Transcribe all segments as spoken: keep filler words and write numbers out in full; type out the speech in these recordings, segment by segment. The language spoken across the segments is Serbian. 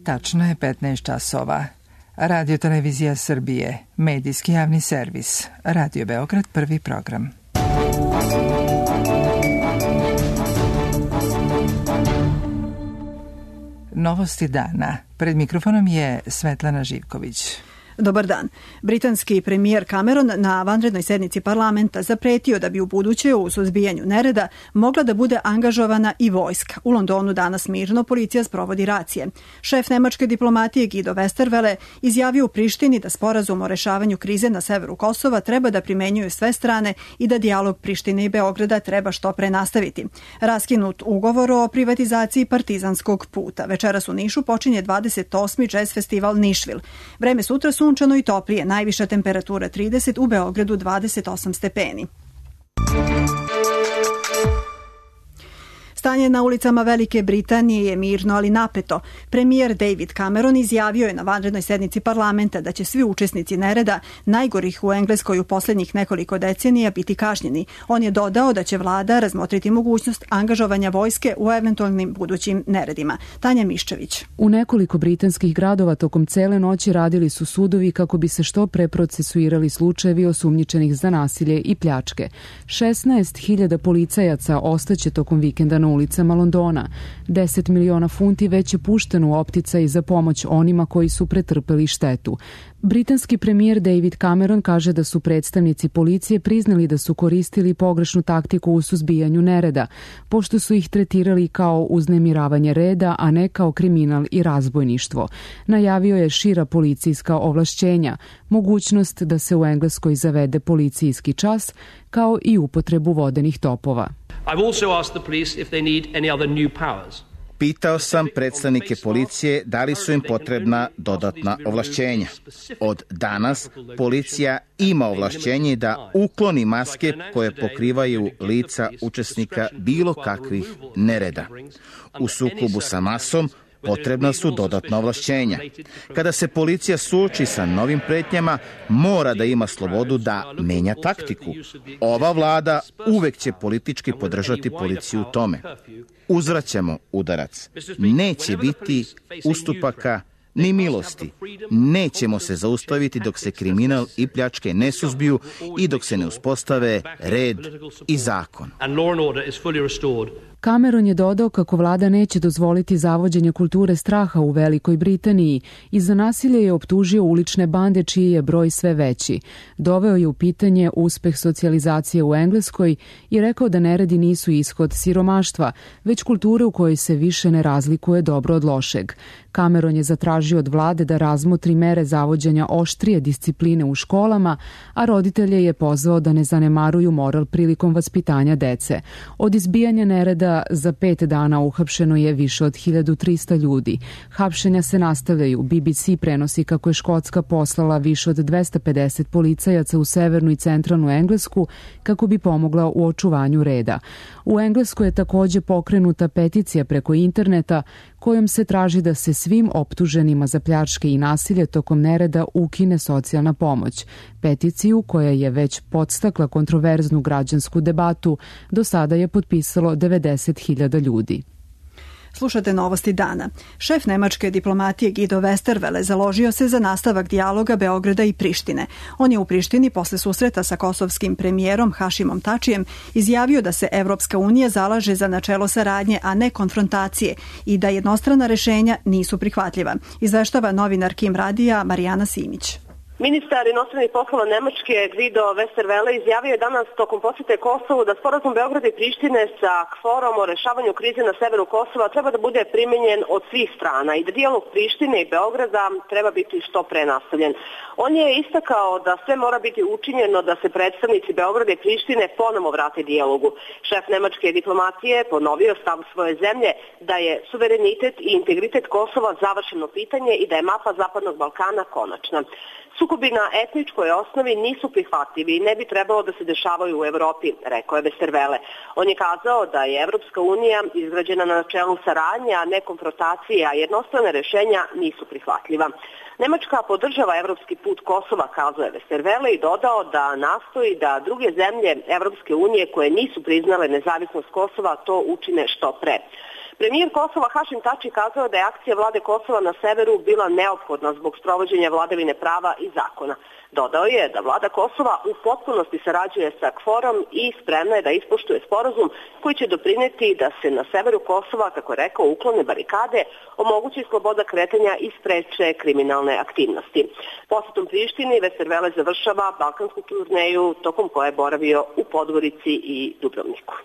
Tačno je petnaest časova. Radio Televizija Srbije, medijski javni servis, Radio Beograd, prvi program. Novosti dana. Pred mikrofonom je Svetlana Živković. Dobar dan. Britanski premijer Cameron na vanrednoj sednici parlamenta zapretio da bi u buduće u suzbijanju nereda mogla da bude angažovana i vojska. U Londonu danas mirno policija sprovodi racije. Šef nemačke diplomatije Guido Westerwelle izjavio u Prištini da sporazum o rešavanju krize na severu Kosova treba da primenjuju sve strane i da dijalog Prištine i Beograda treba što pre nastaviti. Raskinut ugovor o privatizaciji Partizanskog puta. Večeras u Nišu počinje dvadeset osmi Jazz festival Nišvil. Vreme sutra su sunčano i toplije, najviša temperatura trideset, u Beogradu dvadeset osam stepeni. Stanje na ulicama Velike Britanije je mirno, ali napeto. Premijer David Cameron izjavio je na vanrednoj sednici parlamenta da će svi učesnici nereda, najgorih u Engleskoj u posljednjih nekoliko decenija, biti kažnjeni. On je dodao da će vlada razmotriti mogućnost angažovanja vojske u eventualnim budućim neredima. Tanja Miščević. U nekoliko britanskih gradova tokom cele noći radili su sudovi kako bi se što pre procesuirali slučajevi osumnjičenih za nasilje i pljačke. šesnaest hiljada policajaca ostaće tokom vikenda na ulicama Londona. deset miliona funti već je pušteno u opticaj za pomoć onima koji su pretrpeli štetu. Britanski premijer David Cameron kaže da su predstavnici policije priznali da su koristili pogrešnu taktiku u suzbijanju nereda, pošto su ih tretirali kao uznemiravanje reda, a ne kao kriminal i razbojništvo. Najavio je šira policijska ovlašćenja, mogućnost da se u Engleskoj zavede policijski čas, kao i upotrebu vodenih topova. I've also asked the police if they need any other new powers. Pitao sam predstavnike policije da li su im potrebna dodatna ovlašćenja. Od danas policija ima ovlašćenje da ukloni maske koje pokrivaju lica učesnika bilo kakvih nereda. U sukobu sa masom potrebna su dodatna ovlašćenja. Kada se policija suoči sa novim pretnjama, mora da ima slobodu da menja taktiku. Ova vlada uvek će politički podržati policiju u tome. Uzvraćamo udarac. Neće biti ustupaka ni milosti. Nećemo se zaustaviti dok se kriminal i pljačke ne suzbiju i dok se ne uspostave red i zakon. Cameron je dodao kako vlada neće dozvoliti zavođenje kulture straha u Velikoj Britaniji i za nasilje je optužio ulične bande čiji je broj sve veći. Doveo je u pitanje uspeh socijalizacije u Engleskoj i rekao da neredi nisu ishod siromaštva, već kulture u kojoj se više ne razlikuje dobro od lošeg. Cameron je zatražio od vlade da razmotri mere zavođenja oštrije discipline u školama, a roditelje je pozvao da ne zanemaruju moral prilikom vaspitanja dece. Od izbijanja nereda za pet dana uhapšeno je više od hiljadu trista ljudi. Hapšenja se nastavljaju. B B C prenosi kako je Škotska poslala više od dvesta pedeset policajaca u severnu i centralnu Englesku kako bi pomogla u očuvanju reda. U Engleskoj je također pokrenuta peticija preko interneta kojom se traži da se svim optuženima za pljačke i nasilje tokom nereda ukine socijalna pomoć. Peticiju, koja je već podstakla kontroverznu građansku debatu, do sada je potpisalo devedeset hiljada ljudi. Slušate novosti dana. Šef nemačke diplomatije Guido Westerwelle založio se za nastavak dijaloga Beograda i Prištine. On je u Prištini posle susreta sa kosovskim premijerom Hašimom Tačijem izjavio da se Evropska unija zalaže za načelo saradnje, a ne konfrontacije i da jednostrana rešenja nisu prihvatljiva. Izveštava novinar Kim Radija Marijana Simić. Ministar inostranih poslova Nemačke Guido Westerwelle izjavio je danas tokom posete Kosovu da sporazum Beograda i Prištine sa kforom o rešavanju krize na severu Kosova treba da bude primenjen od svih strana i da dijalog Prištine i Beograda treba biti što pre nastavljen. On je istakao da sve mora biti učinjeno da se predstavnici Beograda i Prištine ponovo vrate dijalogu. Šef nemačke diplomatije ponovio stav svoje zemlje da je suverenitet i integritet Kosova završeno pitanje i da je mapa Zapadnog Balkana konačna. Sukobi na etničkoj osnovi nisu prihvatljivi i ne bi trebalo da se dešavaju u Evropi, rekao je Westerwelle. On je kazao da je Evropska unija izgrađena na načelu saradnje, a ne konfrontacije, a jednostrane rešenja nisu prihvatljiva. Nemačka podržava evropski put Kosova, kazao je Westerwelle i dodao da nastoji da druge zemlje Evropske unije koje nisu priznale nezavisnost Kosova to učine što pre. Premijer Kosova Hašim Tači kazao da je akcija vlade Kosova na severu bila neophodna zbog sprovođenja vladavine prava i zakona. Dodao je da vlada Kosova u potpunosti sarađuje sa KFOR-om i spremna je da ispoštuje sporazum koji će doprineti da se na severu Kosova, kako je rekao, uklone barikade, omogući sloboda kretanja i spreče kriminalne aktivnosti. Posetom Prištini Vestervele završava balkansku turneju tokom koje je boravio u Podgorici i Dubrovniku.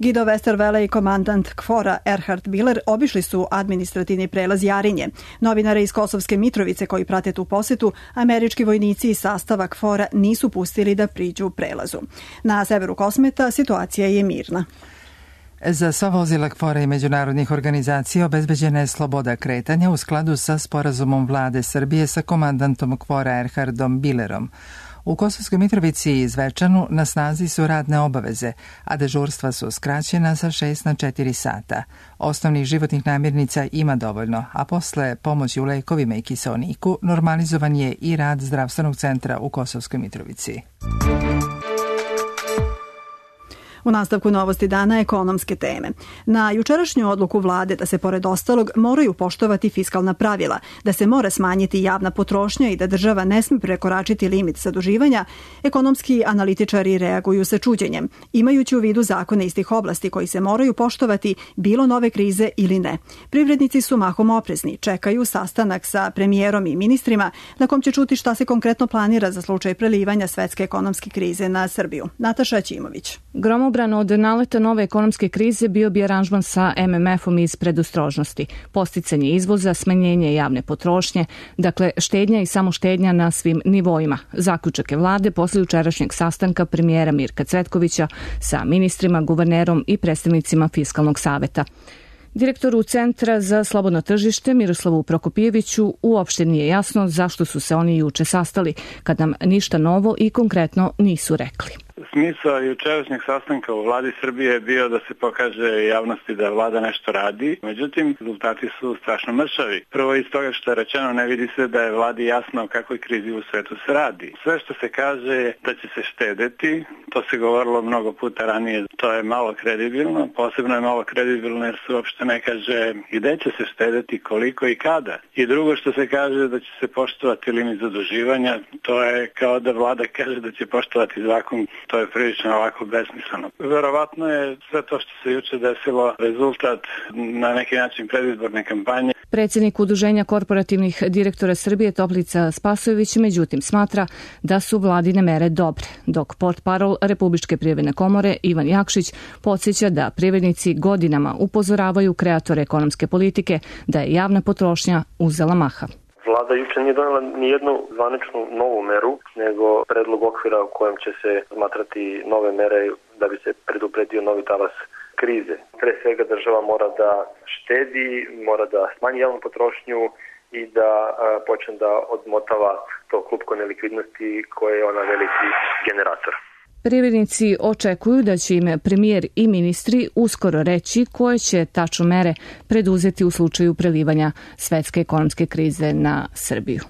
Guido Westerwelle i komandant KFOR-a Erhard Biller obišli su administrativni prelaz Jarinje. Novinare iz Kosovske Mitrovice koji prate tu posetu, američki vojnici iz sastava KFOR-a nisu pustili da priđu prelazu. Na severu Kosmeta situacija je mirna. Za sva vozila KFOR-a i međunarodnih organizacija obezbeđena je sloboda kretanja u skladu sa sporazumom vlade Srbije sa komandantom KFOR-a Erhardom Billerom. U Kosovskoj Mitrovici i Zvečanu na snazi su radne obaveze, a dežurstva su skraćena sa šest na četiri sata. Osnovnih životnih namirnica ima dovoljno, a posle pomoći u lekovima i kiseoniku normalizovan je i rad zdravstvenog centra u Kosovskoj Mitrovici. U nastavku novosti dana ekonomske teme. Na jučerašnju odluku vlade da se pored ostalog moraju poštovati fiskalna pravila, da se mora smanjiti javna potrošnja i da država ne sme prekoračiti limit zaduživanja, ekonomski analitičari reaguju sa čuđenjem, imajući u vidu zakone iz tih oblasti koji se moraju poštovati bilo nove krize ili ne. Privrednici su mahom oprezni, čekaju sastanak sa premijerom i ministrima na kom će čuti šta se konkretno planira za slučaj prelivanja svetske ekonomske krize na Srbiju. Nataša Ćimović. Gromobran od naleta nove ekonomske krize bio bi aranžman sa em em efom iz predostrožnosti, posticanje izvoza, smanjenje javne potrošnje, dakle štednja i samo štednja na svim nivoima. Zaključak je vlade posle jučerašnjeg sastanka premijera Mirka Cvetkovića sa ministrima, guvernerom i predstavnicima Fiskalnog saveta. Direktoru Centra za slobodno tržište Miroslavu Prokopijeviću uopšte nije jasno zašto su se oni juče sastali, kad nam ništa novo i konkretno nisu rekli. Smisao jučerašnjeg sastanka u vladi Srbije je bio da se pokaže javnosti da vlada nešto radi, međutim rezultati su strašno mršavi. Prvo iz toga što je rečeno, ne vidi se da je vladi jasno o kakvoj krizi u svetu se radi. Sve što se kaže je da će se štedeti, to se govorilo mnogo puta ranije, to je malo kredibilno, posebno je malo kredibilno jer se uopšte ne kaže gde će se štedeti, koliko i kada. I drugo što se kaže da će se poštovati limit zaduživanja, to je kao da vlada kaže da će poštovati zakon. To je prilično ovako besmisleno. Verovatno je sve to što se juče desilo rezultat na neki način predizborne kampanje. Predsjednik Udruženja korporativnih direktora Srbije Toplica Spasojević međutim smatra da su vladine mere dobre, dok portparol Republičke privredne komore Ivan Jakšić podsjeća da privrednici godinama upozoravaju kreatore ekonomske politike da je javna potrošnja uzela maha. Vlada juče nije donela ni jednu zvaničnu novu meru, nego predlog okvira u kojem će se smatrati nove mere da bi se predupredio novi talas krize. Pre svega država mora da štedi, mora da smanji javnu potrošnju i da a, počne da odmotava to klupko nelikvidnosti koje je ona veliki generator. Privrednici očekuju da će im premijer i ministri uskoro reći koje će tačno mere preduzeti u slučaju prelivanja svetske ekonomske krize na Srbiju.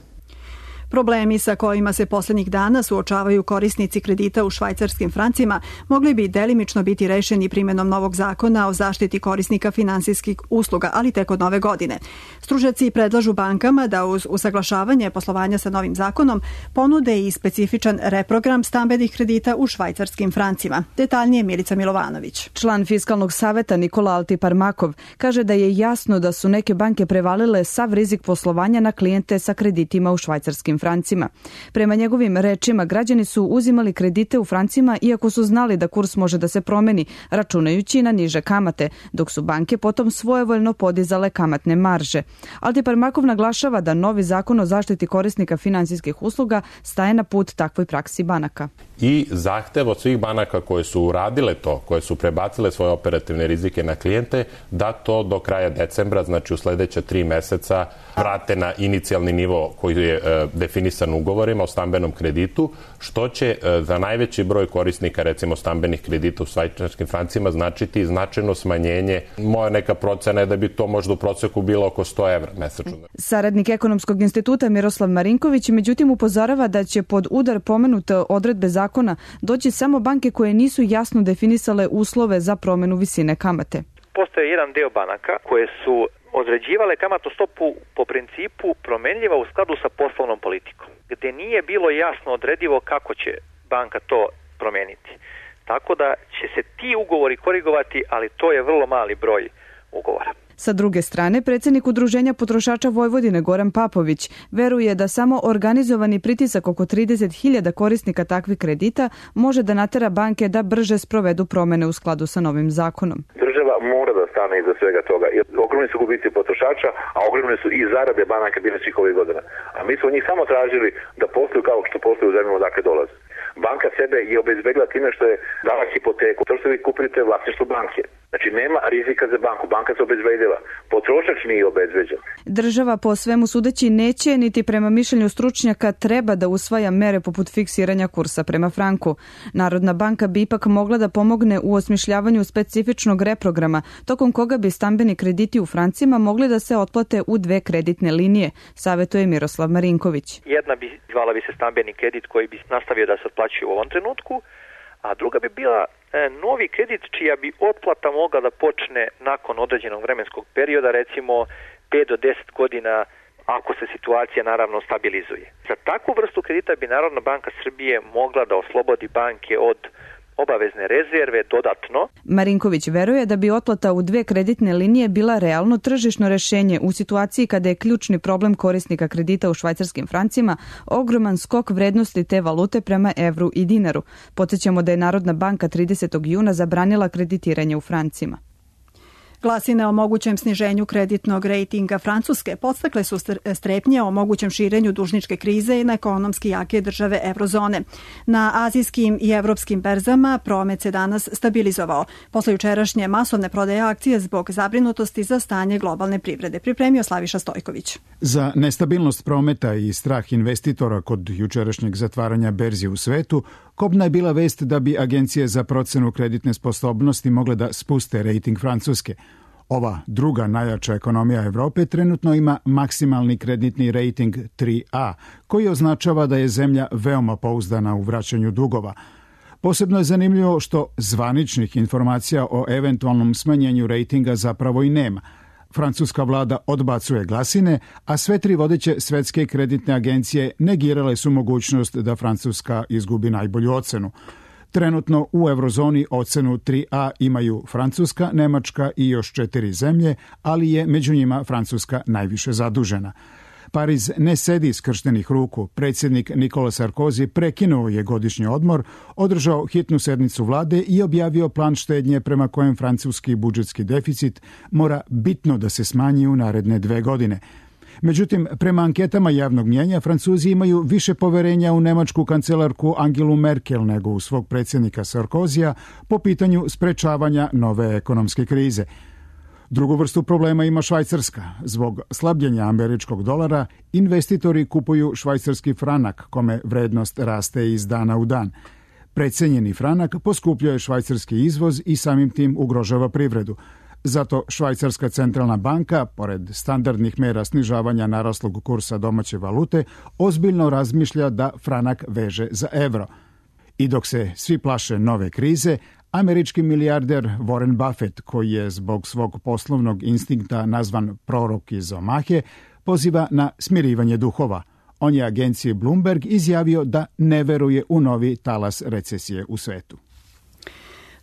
Problemi sa kojima se poslednjih dana suočavaju korisnici kredita u švajcarskim francima mogli bi delimično biti rešeni primjenom novog zakona o zaštiti korisnika finansijskih usluga, ali tek od nove godine. Stručnjaci predlažu bankama da uz usaglašavanje poslovanja sa novim zakonom ponude i specifičan reprogram stambenih kredita u švajcarskim francima. Detaljnije Milica Milovanović. Član Fiskalnog saveta Nikola Altiparmakov kaže da je jasno da su neke banke prevalile sav rizik poslovanja na klijente sa kreditima u švajcarskim francima. Prema njegovim rečima, građani su uzimali kredite u francima iako su znali da kurs može da se promeni, računajući na niže kamate, dok su banke potom svojevoljno podizale kamatne marže. Altiparmakov naglašava da novi zakon o zaštiti korisnika finansijskih usluga staje na put takvoj praksi banaka. I zahtev od svih banaka koje su uradile to, koje su prebacile svoje operativne rizike na klijente, da to do kraja decembra, znači u sledeća tri meseca, vrate na inicijalni nivo koji je e, definisan ugovorima o stambenom kreditu, što će e, za najveći broj korisnika, recimo stambenih kredita u švajcarskim francima, značiti značajno smanjenje. Moja neka procena je da bi to možda u proseku bilo oko sto evra mesečno. Saradnik Ekonomskog instituta Miroslav Marinković međutim upozorava da će pod udar pomenute odredbe zakona doći samo banke koje nisu jasno definisale uslove za promenu visine kamate. Postoje jedan deo banaka koje su određivale kamatnu stopu po principu promenljiva u skladu sa poslovnom politikom, gde nije bilo jasno odredivo kako će banka to promeniti. Tako da će se ti ugovori korigovati, ali to je vrlo mali broj ugovora. Sa druge strane, predsjednik Udruženja potrošača Vojvodine Goran Papović veruje da samo organizovani pritisak oko trideset hiljada korisnika takvih kredita može da natera banke da brže sprovedu promene u skladu sa novim zakonom. Država mora da stane iza svega toga. Ogromni su gubici potrošača, a ogromne su i zarade banaka bile svih ovih godina. A mi smo njih samo tražili da posluju kao što posluju u zemljama odakle dolaze. Banka sebe je obezbedila time što je dala hipoteku. To što vi kupite vlasništvo banke. Znači nema rizika za banku. Banka se obezbedila. Potrošač nije obezbeđen. Država po svemu sudeći neće, niti prema mišljenju stručnjaka treba da usvaja mere poput fiksiranja kursa prema franku. Narodna banka bi ipak mogla da pomogne u osmišljavanju specifičnog reprograma, tokom koga bi stambeni krediti u francima mogli da se otplate u dve kreditne linije, savetuje Miroslav Marinković. Jedna bi zvala bi se stambeni kredit koji bi nastavio da se otplaćuje u ovom trenutku, a druga bi bila novi kredit čija bi otplata mogla da počne nakon određenog vremenskog perioda, recimo pet do deset godina, ako se situacija naravno stabilizuje. Za takvu vrstu kredita bi Narodna banka Srbije mogla da oslobodi banke od obavezne rezerve dodatno. Marinković veruje da bi otplata u dve kreditne linije bila realno tržišno rešenje u situaciji kada je ključni problem korisnika kredita u švajcarskim francima ogroman skok vrednosti te valute prema evru i dinaru. Podsjećamo da je Narodna banka tridesetog juna zabranila kreditiranje u francima. Glasine o mogućem sniženju kreditnog rejtinga Francuske podstakle su strepnje o mogućem širenju dužničke krize i na ekonomski jake države eurozone. Na azijskim i evropskim berzama promet se danas stabilizovao. Posle jučerašnje masovne prodaje akcije zbog zabrinutosti za stanje globalne privrede, pripremio Slaviša Stojković. Za nestabilnost prometa i strah investitora kod jučerašnjeg zatvaranja berzi u svetu, kobna je bila vest da bi agencije za procenu kreditne sposobnosti mogle da spuste rejting Francuske. Ova druga najjača ekonomija Evrope trenutno ima maksimalni kreditni rejting tri A, koji označava da je zemlja veoma pouzdana u vraćanju dugova. Posebno je zanimljivo što zvaničnih informacija o eventualnom smanjenju rejtinga zapravo i nema. Francuska vlada odbacuje glasine, a sve tri vodeće svetske kreditne agencije negirale su mogućnost da Francuska izgubi najbolju ocenu. Trenutno u eurozoni ocenu tri A imaju Francuska, Nemačka i još četiri zemlje, ali je među njima Francuska najviše zadužena. Pariz ne sedi skrštenih ruku. Predsjednik Nikola Sarkozy prekinuo je godišnji odmor, održao hitnu sednicu vlade i objavio plan štednje prema kojem francuski budžetski deficit mora bitno da se smanji u naredne dve godine. Međutim, prema anketama javnog mnjenja, Francuzi imaju više poverenja u nemačku kancelarku Angelu Merkel nego u svog predsjednika Sarkozija po pitanju sprečavanja nove ekonomske krize. Drugu vrstu problema ima Švajcarska. Zbog slabljenja američkog dolara, investitori kupuju švajcarski franak, kome vrednost raste iz dana u dan. Precenjeni franak poskupljuje švajcarski izvoz i samim tim ugrožava privredu. Zato Švajcarska centralna banka, pored standardnih mera snižavanja naraslog kursa domaće valute, ozbiljno razmišlja da franak veže za evro. I dok se svi plaše nove krize, američki milijarder Warren Buffett, koji je zbog svog poslovnog instinkta nazvan prorok iz Omahe, poziva na smirivanje duhova. On je agenciji Bloomberg izjavio da ne veruje u novi talas recesije u svetu.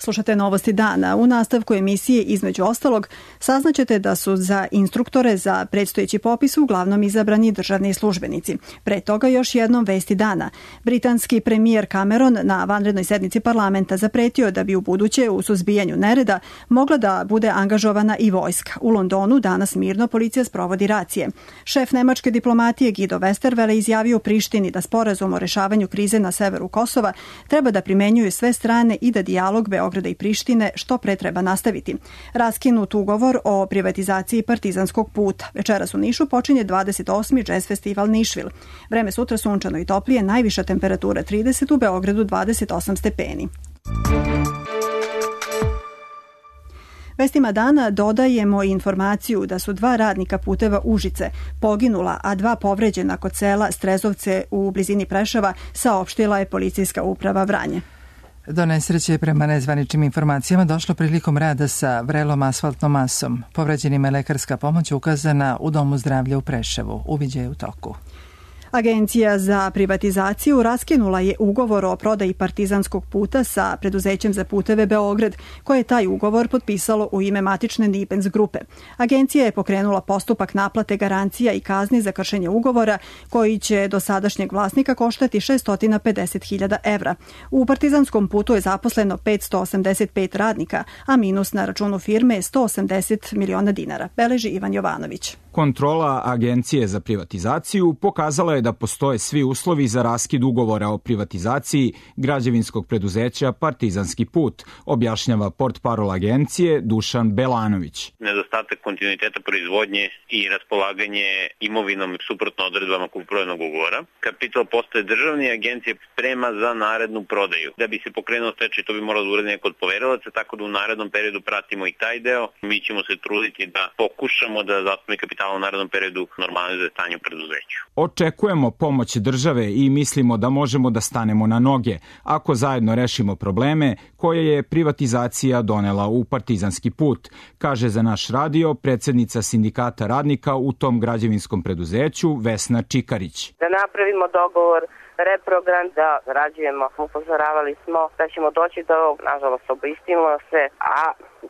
Slušate Novosti dana. U nastavku emisije između ostalog saznaćete da su za instruktore za predstojeći popis uglavnom izabrani državni službenici. Pre toga još jednom vesti dana. Britanski premijer Cameron na vanrednoj sednici parlamenta zapretio da bi u buduće u suzbijanju nereda mogla da bude angažovana i vojska. U Londonu danas mirno policija sprovodi racije. Šef nemačke diplomatije Guido Westerwelle izjavio u Prištini da sporazum o rešavanju krize na severu Kosova treba da primenjuju sve strane i da dijalog Beograda i Prištine što pre treba nastaviti. Raskinut ugovor o privatizaciji Partizanskog puta. Večeras u Nišu počinje dvadeset osmi Jazz festival Nišvil. Vreme sutra sunčano i toplije, najviša temperatura trideset, u Beogradu dvadeset osam stepeni. Vestima dana dodajemo informaciju da su dva radnika puteva Užice poginula, a dva povređena kod sela Strezovce u blizini Preševa, saopštila je policijska uprava Vranje. Do nesreće je prema nezvaničnim informacijama došlo prilikom rada sa vrelom asfaltnom masom. Povređenima je lekarska pomoć ukazana u Domu zdravlja u Preševu. Uviđaj je u toku. Agencija za privatizaciju raskinula je ugovor o prodaji Partizanskog puta sa preduzećem za puteve Beograd, koje je taj ugovor potpisalo u ime matične Nibens grupe. Agencija je pokrenula postupak naplate garancija i kazni za kršenje ugovora, koji će do sadašnjeg vlasnika koštati šesto pedeset hiljada evra. U Partizanskom putu je zaposleno petsto osamdeset pet radnika, a minus na računu firme je sto osamdeset miliona dinara, beleži Ivan Jovanović. Kontrola Agencije za privatizaciju pokazala je da postoje svi uslovi za raskid ugovora o privatizaciji građevinskog preduzeća Partizanski put, objašnjava portparol agencije Dušan Belanović. Nedostatak kontinuiteta proizvodnje i raspolaganje imovinom suprotno odredbama kupoprodajnog ugovora. Kapital postaje državni, agencija sprema za narednu prodaju. Da bi se pokrenuo stečaj, to bi moralo da uradi neko od poverilaca, tako da u narednom periodu pratimo i taj deo. Mi ćemo se truditi da pokušamo da zastupni kapital u narednom periodu normalizuje stanje u preduzeću. Očekujemo pomoć države i mislimo da možemo da stanemo na noge ako zajedno rešimo probleme koje je privatizacija donela u Partizanski put, kaže za naš radio predsednica sindikata radnika u tom građevinskom preduzeću Vesna Čikarić. Da napravimo dogovor, reprogram, da zarađujemo. Upozoravali smo da ćemo doći do ovog, nažalost obistimo se, a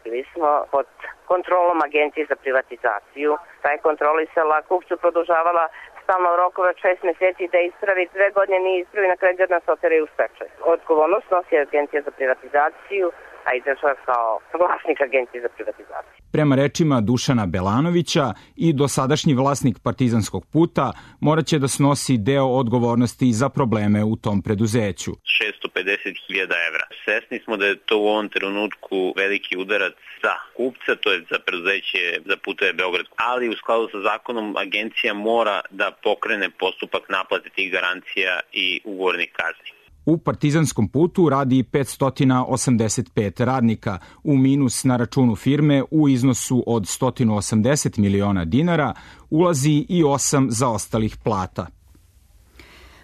bili smo pod kontrolom Agencije za privatizaciju. Ta je kontrolisala, kupcu produžavala stalno rokove šest meseci da ispravi, dve godine nije ispravi, na kraju nas oteraju u stečaj. Odgovornost nosi Agencija za privatizaciju, a i država kao vlasnik Agencije za privatizaciju. Prema rečima Dušana Belanovića, i dosadašnji vlasnik Partizanskog puta moraće da snosi deo odgovornosti za probleme u tom preduzeću. šesto pedeset hiljada evra. Svesni smo da je to u ovom trenutku veliki udarac za kupca, to je za preduzeće za puteve Beograd, ali u skladu sa zakonom agencija mora da pokrene postupak naplate tih garancija i ugovornih kazni. U Partizanskom putu radi petsto osamdeset pet radnika, u minus na računu firme u iznosu od sto osamdeset miliona dinara ulazi i osam zaostalih plata.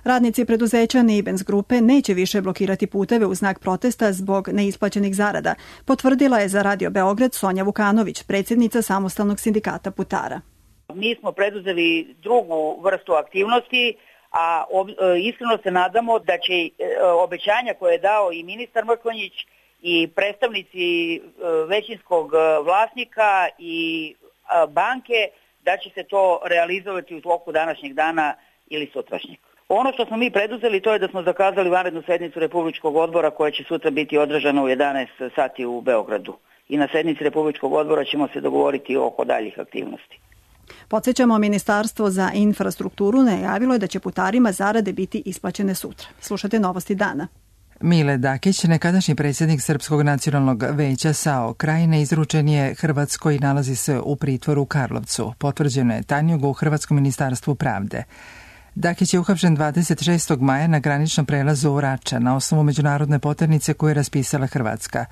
Radnici preduzeća Nibens grupe neće više blokirati puteve u znak protesta zbog neisplaćenih zarada, potvrdila je za Radio Beograd Sonja Vukanović, predsjednica Samostalnog sindikata putara. Mi smo preduzeli drugu vrstu aktivnosti, a iskreno se nadamo da će obećanja koje je dao i ministar Mrkonjić i predstavnici većinskog vlasnika i banke, da će se to realizovati u toku današnjeg dana ili sutrašnjeg. Ono što smo mi preduzeli, to je da smo zakazali vanrednu sednicu Republičkog odbora koja će sutra biti održana u jedanaest sati u Beogradu. I na sednici Republičkog odbora ćemo se dogovoriti oko daljih aktivnosti. Podsjećamo, Ministarstvo za infrastrukturu najavilo je da će putarima zarade biti isplaćene sutra. Slušajte novosti dana. Mile Dakić, nekadašnji predsjednik Srpskog nacionalnog veća S A O Krajine, izručen je Hrvatskoj i nalazi se u pritvoru u Karlovcu. Potvrđeno je Tanjugu u Hrvatskom ministarstvu pravde. Dakić je uhapšen dvadeset šestog maja na graničnom prelazu u Rača na osnovu međunarodne poternice koju je raspisala Hrvatska.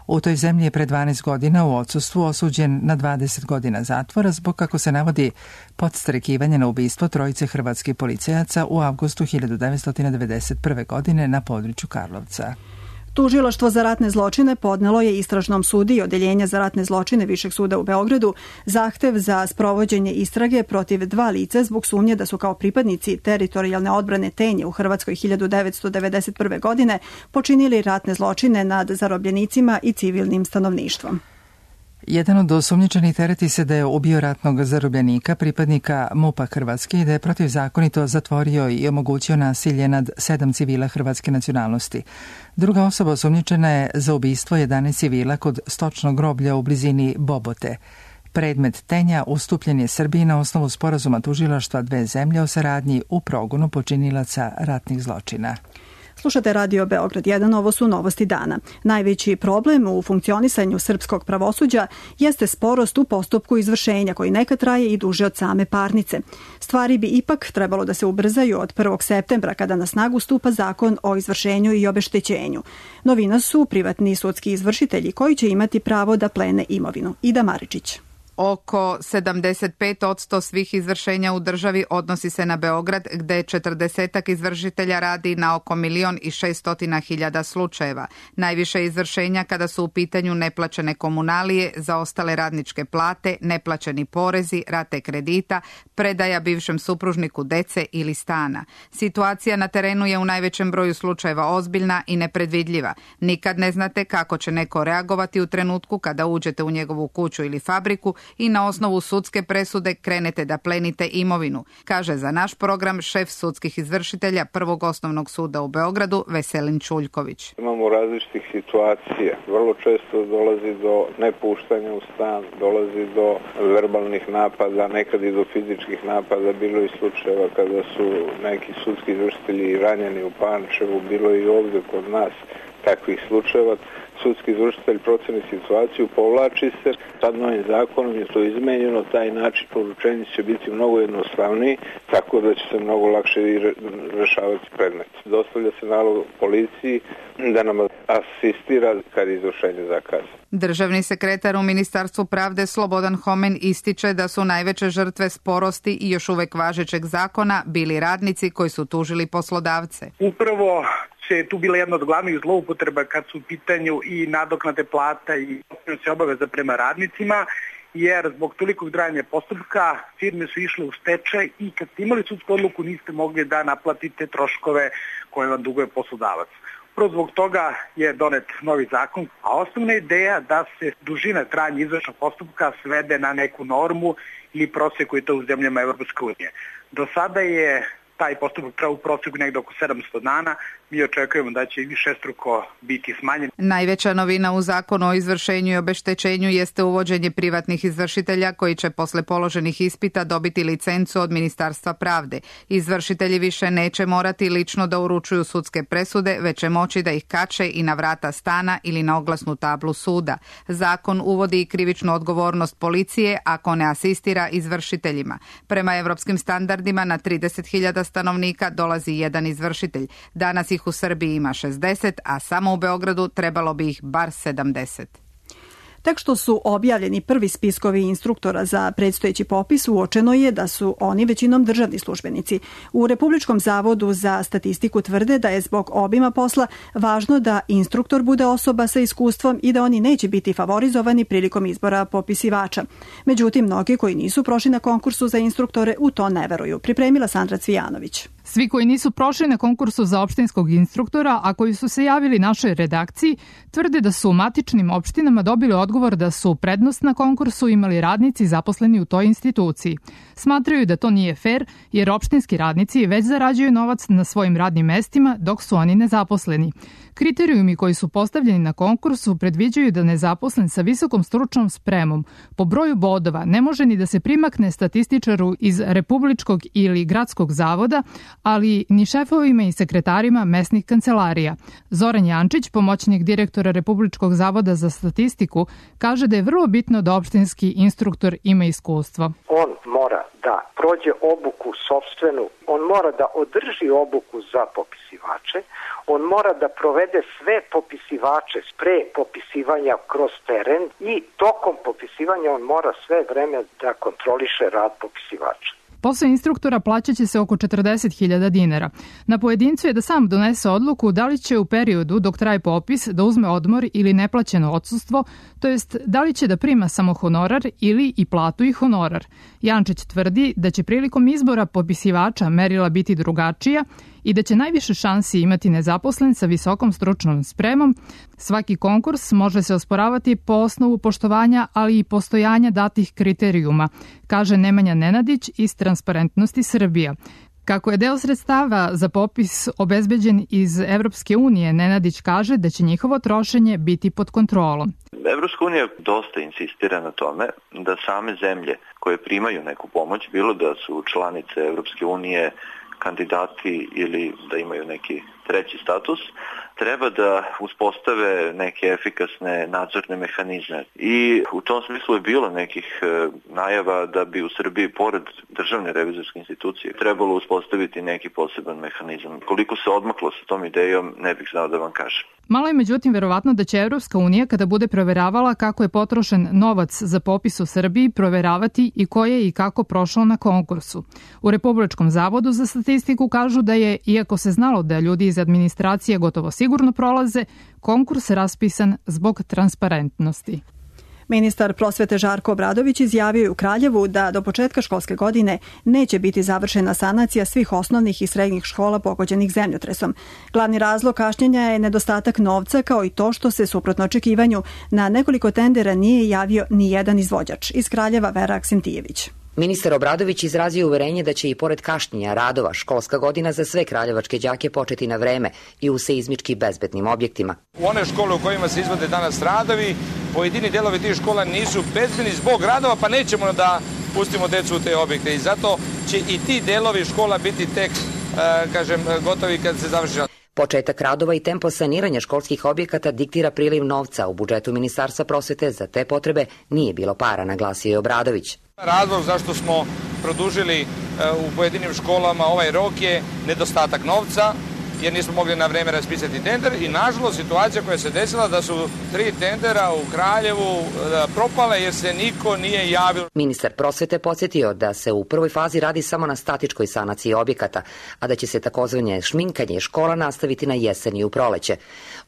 U toj zemlji je pre dvanaest godina u odsustvu osuđen na dvadeset godina zatvora zbog, kako se navodi, podstrekivanja na ubistvo trojice hrvatskih policajaca u avgustu hiljadu devetsto devedeset prve. godine na području Karlovca. Tužilaštvo za ratne zločine podnelo je istražnom sudiji Odeljenja za ratne zločine Višeg suda u Beogradu zahtev za sprovođenje istrage protiv dva lica zbog sumnje da su kao pripadnici teritorijalne odbrane Tenje u Hrvatskoj hiljadu devetsto devedeset prve. godine počinili ratne zločine nad zarobljenicima i civilnim stanovništvom. Jedan od osumnjičenih tereti se da je ubio ratnog zarobljenika, pripadnika MUP-a Hrvatske, i da je protivzakonito zatvorio i omogućio nasilje nad sedam civila hrvatske nacionalnosti. Druga osoba osumnjičena je za ubistvo jedanaest civila kod stočnog groblja u blizini Bobote. Predmet Tenja ustupljen je Srbiji na osnovu sporazuma tužilaštva dve zemlje o saradnji u progonu počinilaca ratnih zločina. Slušate Radio Beograd jedan, ovo su novosti dana. Najveći problem u funkcionisanju srpskog pravosuđa jeste sporost u postupku izvršenja, koji nekad traje i duže od same parnice. Stvari bi ipak trebalo da se ubrzaju od prvog septembra, kada na snagu stupa zakon o izvršenju i obeštećenju. Novina su privatni sudski izvršitelji koji će imati pravo da plene imovinu. Ida Maričić. Oko sedamdeset pet posto svih izvršenja u državi odnosi se na Beograd, gde četrdesetak izvršitelja radi na oko milion i šestotina hiljada slučajeva. Najviše izvršenja kada su u pitanju neplaćene komunalije, zaostale radničke plate, neplaćeni porezi, rate kredita, predaja bivšem supružniku dece ili stana. Situacija na terenu je u najvećem broju slučajeva ozbiljna i nepredvidljiva. Nikad ne znate kako će neko reagovati u trenutku kada uđete u njegovu kuću ili fabriku i na osnovu sudske presude krenete da plenite imovinu, kaže za naš program šef sudskih izvršitelja Prvog osnovnog suda u Beogradu Veselin Čuljković. Imamo različitih situacija. Vrlo često dolazi do nepuštanja u stan, dolazi do verbalnih napada, nekad i do fizičkih napada. Bilo je slučajeva kada su neki sudski izvršitelji ranjeni u Pančevu, bilo je i ovdje kod nas takvih slučajeva. Sudski izvršitelj proceni situaciju, povlači se, sad novim zakonom je to izmenjeno, taj način poručenja će biti mnogo jednostavniji, tako da će se mnogo lakše i rešavati predmet. Dostavlja se nalog policiji da nam asistira kad je izvršenje zakaza. Državni sekretar u Ministarstvu pravde Slobodan Homen ističe da su najveće žrtve sporosti i još uvek važećeg zakona bili radnici koji su tužili poslodavce. Upravo je tu bila jedna od glavnih zloupotreba kad su u pitanju i nadoknade plata i obaveza prema radnicima, jer zbog tolikog trajanja postupka firme su išle u stečaj i kad ste imali sudsku odluku niste mogli da naplatite troškove koje vam duguje poslodavac. Upravo zbog toga je donet novi zakon, a osnovna ideja da se dužina trajanja izvršnog postupka svede na neku normu ili prosjek koji je to u zemljama Evropske unije. Do sada je taj postupak trajao u prosjeku negde oko sedamsto dana. Mi očekujemo da će i višestruko biti smanjen. Najveća novina u zakonu o izvršenju i obeštećenju jeste uvođenje privatnih izvršitelja koji će posle položenih ispita dobiti licencu od Ministarstva pravde. Izvršitelji više neće morati lično da uručuju sudske presude, već će moći da ih kače i na vrata stana ili na oglasnu tablu suda. Zakon uvodi i krivičnu odgovornost policije ako ne asistira izvršiteljima. Prema evropskim standardima na trideset hiljada stanovnika dolazi jedan izvršitelj. Danas ih u Srbiji ima šezdeset, a samo u Beogradu trebalo bi ih bar sedamdeset. Tek što su objavljeni prvi spiskovi instruktora za predstojeći popis, uočeno je da su oni većinom državni službenici. U Republičkom zavodu za statistiku tvrde da je zbog obima posla važno da instruktor bude osoba sa iskustvom i da oni neće biti favorizovani prilikom izbora popisivača. Međutim, mnogi koji nisu prošli na konkursu za instruktore u to ne veruju. Pripremila Sandra Cvijanović. Svi koji nisu prošli na konkursu za opštinskog instruktora, a koji su se javili našoj redakciji, tvrde da su u matičnim opštinama dobili odgovor da su prednost na konkursu imali radnici zaposleni u toj instituciji. Smatraju da to nije fer, jer opštinski radnici već zarađuju novac na svojim radnim mestima dok su oni nezaposleni. Kriterijumi koji su postavljeni na konkursu predviđaju da nezaposlen sa visokom stručnom spremom po broju bodova ne može ni da se primakne statističaru iz Republičkog ili Gradskog zavoda, ali ni šefovima i sekretarima mesnih kancelarija. Zoran Jančić, pomoćnik direktora Republičkog zavoda za statistiku, kaže da je vrlo bitno da opštinski instruktor ima iskustvo. On mora da prođe obuku sopstvenu, on mora da održi obuku za popisivače, on mora da provede sve popisivače pre popisivanja kroz teren i tokom popisivanja on mora sve vreme da kontroliše rad popisivača. Posao instruktora plaćaće se oko četrdeset hiljada dinara. Na pojedincu je da sam donese odluku da li će u periodu dok traje popis da uzme odmor ili neplaćeno odsustvo, to jest da li će da prima samo honorar ili i platu i honorar. Jančić tvrdi da će prilikom izbora popisivača merila biti drugačija i da će najviše šansi imati nezaposlen sa visokom stručnom spremom. Svaki konkurs može se osporavati po osnovu poštovanja, ali i postojanja datih kriterijuma, kaže Nemanja Nenadić iz Transparentnosti Srbija. Kako je deo sredstava za popis obezbeđen iz Evropske unije, Nenadić kaže da će njihovo trošenje biti pod kontrolom. Evropska unija dosta insistira na tome da same zemlje koje primaju neku pomoć, bilo da su članice Evropske unije, kandidati ili da imaju neki treći status, treba da uspostave neke efikasne nadzorne mehanizme. I u tom smislu je bilo nekih e, najava da bi u Srbiji, pored državne revizorske institucije, trebalo uspostaviti neki poseban mehanizam. Koliko se odmaklo sa tom idejom, ne bih znao da vam kažem. Malo je međutim verovatno da će Evropska unija, kada bude proveravala kako je potrošen novac za popis u Srbiji, proveravati i ko je i kako prošao na konkursu. U Republičkom zavodu za statistiku kažu da je, iako se znalo da ljudi iz administracije gotovo sigurno prolaze, konkurs raspisan zbog transparentnosti. Ministar prosvete Žarko Obradović izjavio je u Kraljevu da do početka školske godine neće biti završena sanacija svih osnovnih i srednjih škola pogođenih zemljotresom. Glavni razlog kašnjenja je nedostatak novca, kao i to što se, suprotno očekivanju, na nekoliko tendera nije javio ni jedan izvođač. Iz Kraljeva Vera Aksentijević. Ministar Obradović izrazio uverenje da će i pored kašnjenja radova školska godina za sve kraljevačke đake početi na vreme i u seizmički bezbednim objektima. U one škole u kojima se izvode danas radovi, pojedini delovi tih škola nisu bezbedni zbog radova, pa nećemo da pustimo decu u te objekte i zato će i ti delovi škola biti tek, kažem, gotovi kad se završi rad. Početak radova i tempo saniranja školskih objekata diktira priliv novca. U budžetu Ministarstva prosvete za te potrebe nije bilo para, naglasio je Obradović. Razlog zašto smo produžili u pojedinim školama ovaj rok je nedostatak novca, jer nismo mogli na vreme raspisati tender i nažalost situacija koja se desila da su tri tendera u Kraljevu propale jer se niko nije javio. Ministar prosvete podsjetio da se u prvoj fazi radi samo na statičkoj sanaciji objekata, a da će se takozvanje šminkanje škola nastaviti na jesen i u proleće.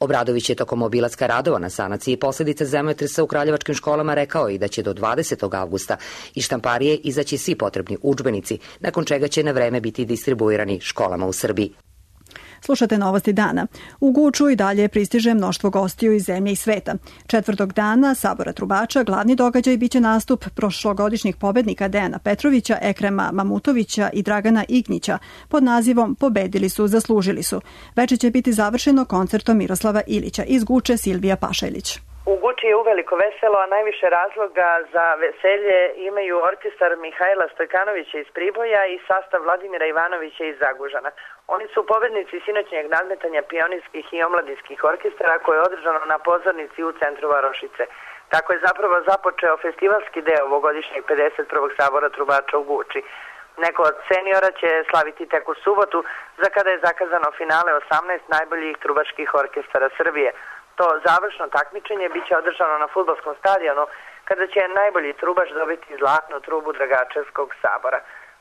Obradović je tokom obilaska radova na sanaciji posljedice zemljotresa u kraljevačkim školama rekao i da će do dvadesetog avgusta iz štamparije izaći svi potrebni udžbenici, nakon čega će na vreme biti distribuirani školama u Srbiji. Slušate novosti dana. U Guču i dalje pristiže mnoštvo gostiju iz zemlje i sveta. Četvrtog dana Sabora trubača glavni događaj biće nastup prošlogodišnjih pobednika Dejana Petrovića, Ekrema Mamutovića i Dragana Ignića pod nazivom Pobedili su, zaslužili su. Veče će biti završeno koncertom Miroslava Ilića. Iz Guče Silvija Pašajlić. U Guči je uveliko veselo, a najviše razloga za veselje imaju orkestar Mihajla Stojkanovića iz Priboja i sastav Vladimira Ivanovića iz Zagužana. Oni su pobednici sinoćnjeg nadmetanja pionirskih i omladinskih orkestara koje je održano na pozornici u centru Varošice. Tako je zapravo započeo festivalski deo ovogodišnjeg pedeset prvog Sabora trubača u Guči. Neko od seniora će slaviti tek u subotu, za kada je zakazano finale osamnaest najboljih trubačkih orkestara Srbije. To završno takmičenje biće održano na fudbalskom stadionu, kada će najbolji trubaš dobiti zlatnu trubu Dragačevskog sabora.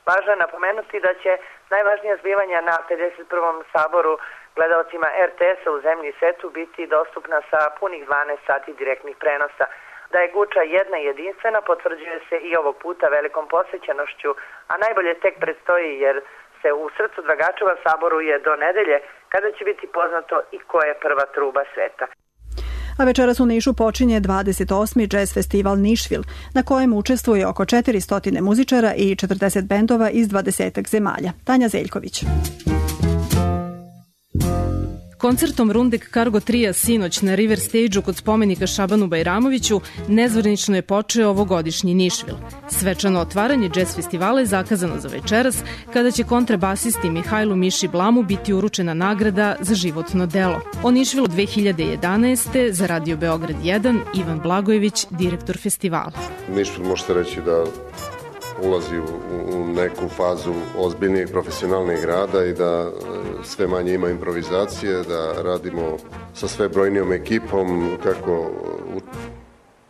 Važno je napomenuti da će najvažnija zbivanja na pedeset prvom saboru gledaocima er te esa u zemlji i svetu biti dostupna sa punih dvanaest sati direktnih prenosa. Da je Guča jedna i jedinstvena potvrđuje se i ovog puta velikom posvećenošću, a najbolje tek predstoji jer se u srcu Dragačeva saboruje do nedelje, kada će biti poznato i ko je prva truba sveta. A večeras u Nišu počinje dvadeset osmi Jazz festival Nišvil, na kojem učestvuje oko četiristo muzičara i četrdeset bendova iz dvadesetak zemalja. Tanja Zeljković. Koncertom Rundek Cargo Tria sinoć na River Stage-u kod spomenika Šabanu Bajramoviću nezvanično je počeo ovogodišnji Nišvil. Svečano otvaranje jazz festivala je zakazano za večeras, kada će kontrabasisti Mihajlu Miši Blamu biti uručena nagrada za životno delo. O Nišvilu dve hiljade jedanaeste za Radio Beograd jedan Ivan Blagojević, direktor festivala. Nišvil možete reći da ulazi u, u neku fazu ozbiljnijeg profesionalnijeg rada i da sve manje ima improvizacije, da radimo sa sve brojnijom ekipom, kako u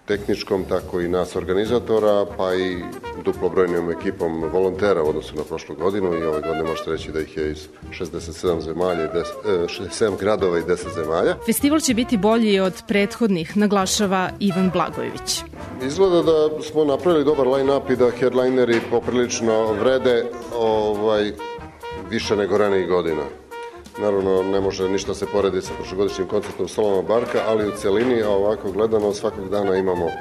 tehničkom, tako i nas organizatora, pa i duplo brojnijom ekipom volontera u odnosu na prošlu godinu i ove godine možete reći da ih je iz šezdeset sedam zemalja i šezdeset sedam gradova i deset zemalja. Festival će biti bolji od prethodnih, naglašava Ivan Blagojević. Izgleda da smo napravili dobar line-up i da headlineri poprilično vrede ovaj, više nego ranijih godina. Naravno, ne može ništa se porediti sa prošlogodišnjim koncertom Solomona Barka, ali u celini, a ovako gledano, svakog dana imamo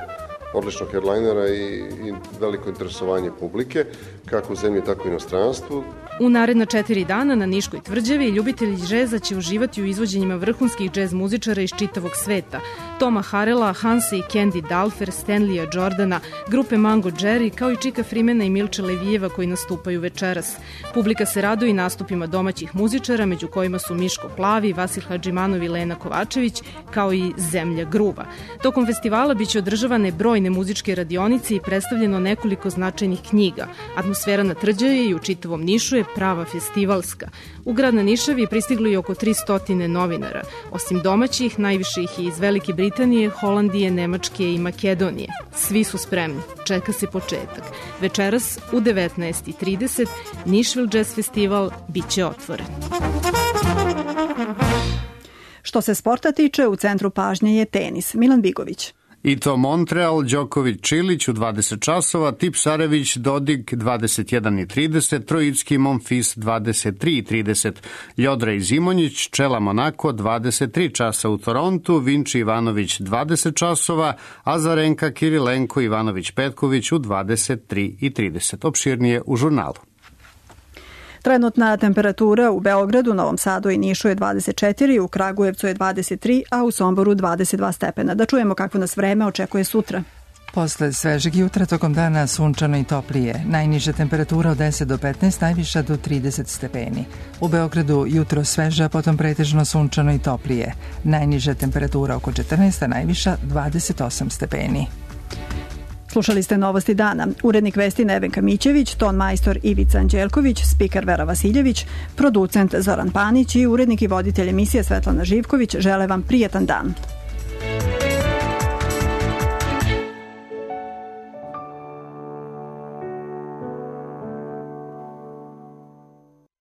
odličnog headlinera i, i veliko interesovanje publike, kako u zemlji, tako i inostranstvu. U naredna četiri dana na Niškoj tvrđavi ljubitelji džeza će uživati u izvođenjima vrhunskih džez muzičara iz čitavog sveta. Toma Harela, Hansa i Candy Dalfer, Stanleya Jordana, grupe Mango Jerry, kao i Čika Frimena i Milče Levijeva koji nastupaju večeras. Publika se raduje i nastupima domaćih muzičara, među kojima su Miško Plavi, Vasil Hadžimanov i Lena Kovačević, kao i Zemlja gruva. Tokom festivala biće održavane brojne muzičke radionice i predstavljeno nekoliko značajnih knjiga. Atmosfera na tvrđavi i u čitavom Nišu je prava festivalska. U grad na Nišavi pristiglo je oko tristo novinara. Osim domaćih, najviše ih je iz Velike Britanije, Holandije, Nemačke i Makedonije. Svi su spremni. Čeka se početak. Večeras u devetnaest i trideset Nišvil Jazz Festival biće otvoren. Što se sporta tiče, u centru pažnje je tenis. Milan Bigović. I to Montreal, Đoković, Čilić u dvadeset časova, Tipsarević, Dodig dvadeset jedan i trideset, Trojicki, Monfils dvadeset tri i trideset, Ljodra i Zimonjić, Čela Monako dvadeset tri časa u Torontu, Vinči Ivanović dvadeset časova, Azarenka, Kirilenko, Ivanović, Petković u dvadeset tri i trideset. Opširnije u žurnalu. Trenutna temperatura u Beogradu, Novom Sadu i Nišu je dvadeset četiri, u Kragujevcu je dvadeset tri, a u Somboru dvadeset dva stepena. Da čujemo kakvo nas vreme očekuje sutra. Posle svežeg jutra tokom dana sunčano i toplije. Najniža temperatura od deset do petnaest, najviša do trideset stepeni. U Beogradu jutro sveža, potom pretežno sunčano i toplije. Najniža temperatura oko četrnaest, a najviša dvadeset osam stepeni. Slušali ste Novosti dana. Urednik vesti Nevenka Mićević, ton majstor Ivica Anđelković, spiker Vera Vasiljević, producent Zoran Panić i urednik i voditelj emisije Svetlana Živković žele vam prijetan dan.